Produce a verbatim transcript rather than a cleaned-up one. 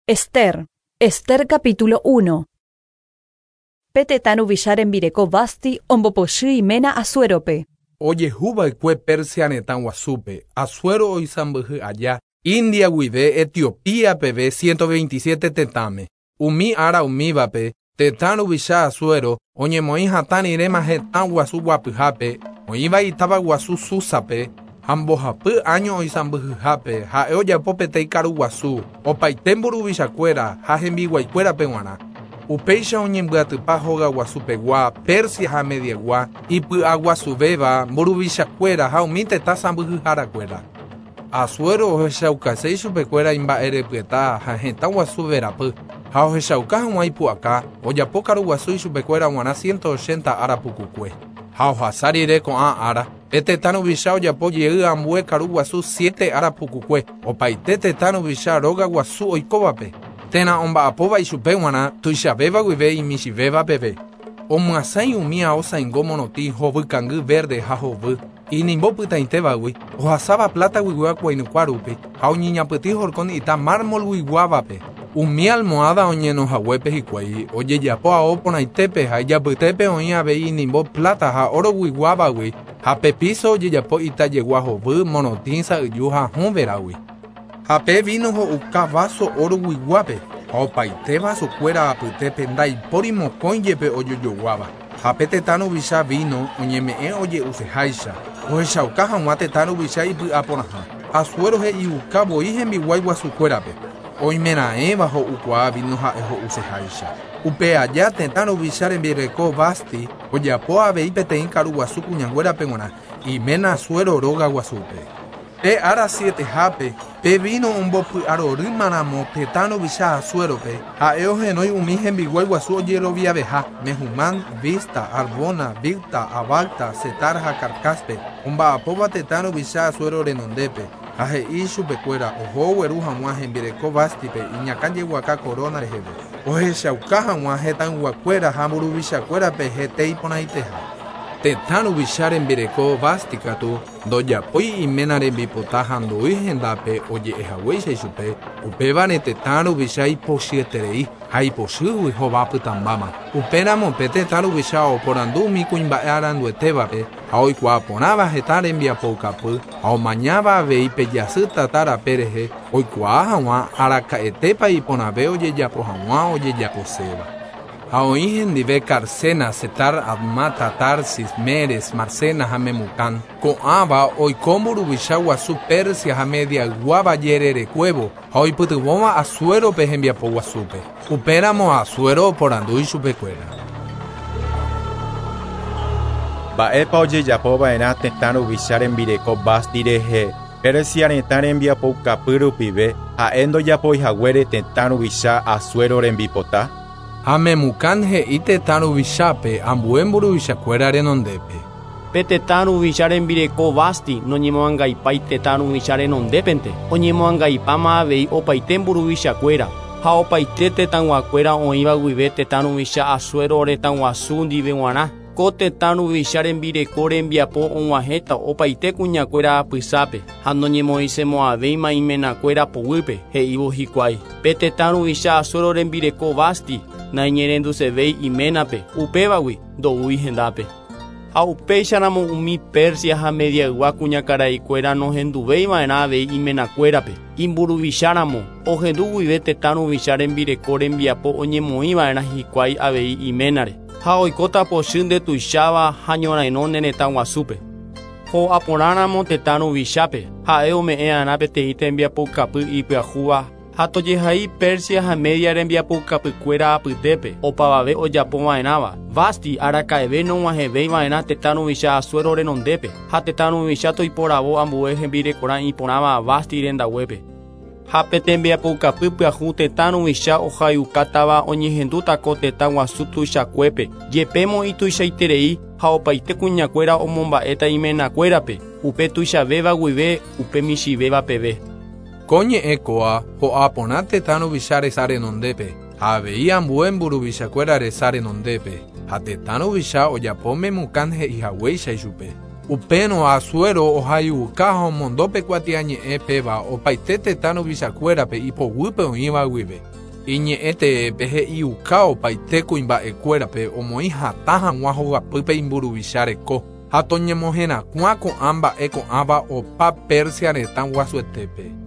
Ester. Ester capítulo uno. Pe tetã ruvicha rembireko Vasti ombopochy iména Asuérope. Ojehuva'ekue Persia retã guasúpe, Asuero oisãmbyhy aja, India guive Etiopía peve ciento veintisiete tetãme. Umi ára umívape, tetã ruvicha Asuero oñemoĩ hatã riréma hetã guasu guapyhápe, oĩva itáva guasu Súsape, ha mbohapy año oisãmbyhyhápe, ha'e ojapo peteĩ karu guasu, opaite mburuvichakuéra ha hembiguaikuérape g̃uarã. Upéicha oñembyatypa hóga guasupegua, Persia ha Mediagua, ipy'aguasuvéva mburuvichakuéra ha umi tetã sãmbyhyharakuéra. Asuero ohechaukaséi chupekuéra imba'erepyeta ha hetã guasu verapy, ha ohechauka hag̃ua ipu'aka, ojapo karu guasu ichupekuéra g̃uarã ciento ochenta ára pukukue. Ha ohasa rire ko'ã ára, pe tetã ruvicha ojapo jey ambue karu guasu siete ára pukukue, opaite tetã ruvicha róga guasu oikóvape, térã omba'apóva ichupe g̃uarã tuichavéva guive imichĩvéva peve. Omyasãi umi aosãingo morotĩ hovykangy verde ha hovy, inimbo pytãitévagui, ohasáva plata guigua kuainykua rupi, ha oñeñapytĩ horkon ita mármol guiguávape. Umi almohada oñenohaguépe hikuái, ojejapo ao porãitépe ha ijapytépe oĩ avei inimbo plata ha oro guiguávagui, ha pe piso ojejapo ita jegua hovy, morotĩ, sa'yju ha hũ veragui. Ha pe vino ho'uka vaso oro guiguápe, ha opaite vasokuéra apytépe ndaipóri mokõi jepe ojojoguáva. Ha pe tetã ruvicha vino oñeme'ẽ oje'useháicha, ohechauka hag̃ua tetã ruvicha ipy'aporãha. Asuero he'iuka voi hembiguái guasukuérape, oimeraẽva ho'ukuaa vino ha'e ho'useháicha. Upe aja tetã ruvicha rembireko Vasti ojapo avei peteĩ karu guasu kuñanguérape g̃uarã, iména Asuero róga guasúpe. Pe ára sietehápe, pe vino ombopy'arorýmaramo tetã ruvicha Asuérope, ha'e ohenói umi hembiguái guasu ojeroviaveha, Mehumán, Vista, Arbona, Bigta, Abagta, Setar ha Carcáspe, omba'apóva tetã ruvicha Asuero renondépe, ha he'i chupekuéra oho ogueru hag̃ua hembireko Vástipe iñakã jeguaka corona reheve, ohechauka hag̃ua hetãyguakuéra ha mburuvichakuérape hete iporãiteha. Tetã ruvicha rembireko Vasti katu ndojapói iména rembipota ha ndoi hendápe oje'ehaguéicha ichupe, upévare tetã ruvicha ipochyeterei ha ipochýgui hova pytãmbáma. Upéramo pe tetã ruvicha oporandu umi kuimba'e aranduetévape ha oikuaa porãva heta rembiapoukapy ha omañáva avei pe jasy tata rape rehe oikuaa hag̃ua araka'etépa iporãve ojejapo hag̃ua ojejaposéva. Ha oĩ hendive Carcena, Setar, Admata, Tarsis, Meres, Marcena ha Memucán. Ko'ãva oiko mburuvicha guasu Persia ha Mediayguáva jererekuévo ha oipytyvõva Asuérope hembiapo guasúpe. Upéramo Asuero oporandu ichupekuéra. Mba'épa ojejapova'erã tetã ruvicha rembireko Vasti rehe, Persia retã rembiapoukapy rupive ha'e ndojapoihaguére tetã ruvicha Asuero rembipota? Ha Memucán he'i tetã ruvichápe ambue mburuvichakuéra renondépe. Pe tetã ruvicha rembireko Vasti noñemoangaipái tetã ruvicha renondépente, oñemoangaipáma avei opaite mburuvichakuéra, ha opaite tetãguakuéra oĩva guive tetã ruvicha Asuero retã guasu ndive g̃uarã. Ko tetã ruvicha rembireko rembiapo og̃uahẽta opaite kuñakuéra apysápe, ha noñemoĩsemo'ãvéima imenakuéra poguýpe, he'ívo hikuái. Pe tetã ruvicha Asuero rembireko Vasti naiñerendusevéi iménape, upévagui ndoúi hendápe. Ha upéicharamo umi Persia ha Mediaygua kuñakaraikuéra nohenduvéiva'erã avei imenakuérape. Imburuvicháramo ohendu guive tetã ruvicha rembireko rembiapo oñemoĩva'erã hikuái avei iménare. Ha oikóta pochy ndetuicháva ha ñorairõ ne retã guasúpe. Ho'aporãramo tetã ruvichápe, ha'e ome'ẽ'arã peteĩ tembiapoukapy ipyahúva ha tojehai Persia ha Media rembiapoukapykuéra apytépe opavave ojapova'erãva. Vasti araka'eve nog̃uahẽvéiva'erã tetã ruvicha Asuero renondépe ha tetã ruvicha toiporavo ambue hembirekorã iporãva Vasti rendaguépe. Ha pe tembiapoukapy pyahu tetã ruvicha ohayukátava oñehendúta ko tetã guasu tuichakuépe, jepémo ituichaiterei ha opaite kuñakuéra omomba'éta imenakuérape, upe tuichavéva guive upe michĩvéva peve. Ko ñe'ẽ kóa ho'a porã tetã ruvicha resa renondépe, ha avei ambue mburuvichakuéra resa renondépe, ha tetã ruvicha ojapo Memucán he'ihaguéicha ichupe. Upérõ Asuero ohaiuka ha omondo pe kuatiañe'ẽ péva opaite tetã ruvichakuérape ipoguýpe oĩva guive. Iñe'ẽteépe he'iuka opaite kuimba'ekuérape omoĩ hatã hag̃ua hogapýpe imburuvicha reko ha toñemoherakuã ko'ã mba'e ko'ãva opa Persia retã guasuetépe.